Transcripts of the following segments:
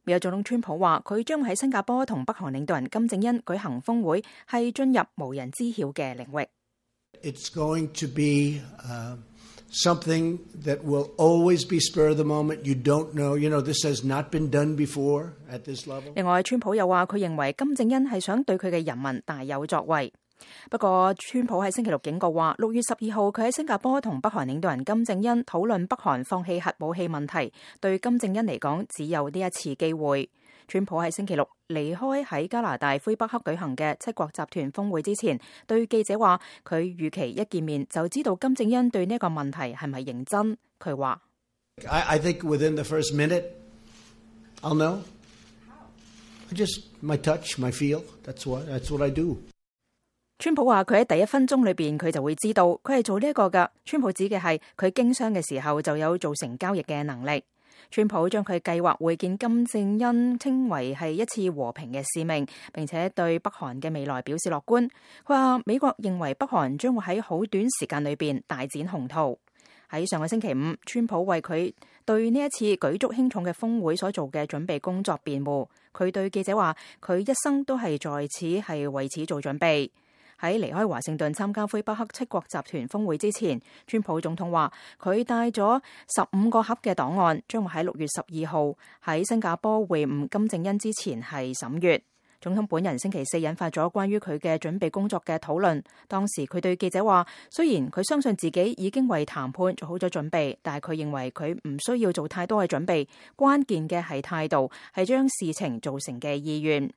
美國總統川普話，佢將喺新加坡同北韓領導人金正恩舉行峰會，係進入無人知曉嘅領域。It's going to be something that will always be spur of the moment. You don't know. This has not been done before at this level. 另外，川普又話，佢認為金正恩係想對佢嘅人民大有作為。不過，川普喺星期六警告話，6月12號佢喺新加坡同北韓領導人金正恩討論北韓放棄核武器問題，對金正恩嚟講只有呢一次機會。川普喺星期六離開喺加拿大魁北克舉行嘅七國集團峰會之前，對記者話，佢預期一見面就知道金正恩對呢個問題係咪認真。佢話I think within the first minute, I'll know. Just my touch, my feel. That's what I do. 川普話佢喺第一分鐘裏邊佢就會知道，佢係做呢一個㗎。川普指嘅係佢經商嘅時候就有做成交易嘅能力。川普將佢計劃會見金正恩稱為係一次和平嘅使命，並且對北韓嘅未來表示樂觀。佢話美國認為北韓將會喺好短時間裏邊大展宏圖。喺上個星期五，川普為佢對呢一次舉足輕重嘅峰會所做嘅準備工作辯護。佢對記者話，佢一生都係在此係為此做準備。喺離開華盛頓參加魁北克七國集團峰會之前，川普總統話佢帶咗15個盒嘅檔案，將會喺6月12號喺新加坡會晤金正恩之前係審閱。總統本人星期四引發咗關於佢嘅準備工作嘅討論。當時佢對記者話，雖然佢相信自己已經為談判做好咗準備，但係佢認為佢唔需要做太多嘅準備，關鍵嘅係態度，係將事情做成嘅意願。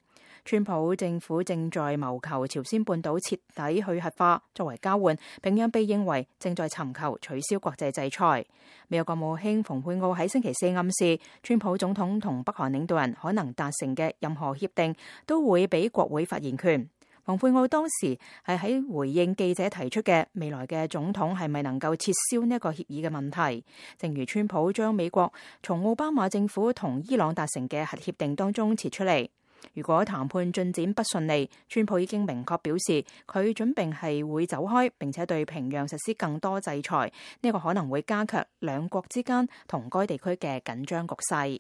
川普政府正在謀求朝鮮半島徹底去核化，作為交換，平壤被認為正在尋求取消國際制裁。美國國務卿蓬佩奧喺星期四暗示，川普總統同北韓領導人可能達成嘅任何協定都會俾國會發言權。蓬佩奧當時係喺回應記者提出嘅未來嘅總統係咪能夠撤銷呢一個協議嘅問題。正如川普將美國從奧巴馬政府同伊朗達成嘅核協定當中撤出嚟。如果談判進展不順利，川普已經明確表示佢準備係會走開，並且對平壤實施更多制裁。呢個可能會加劇兩國之間同該地區嘅緊張局勢。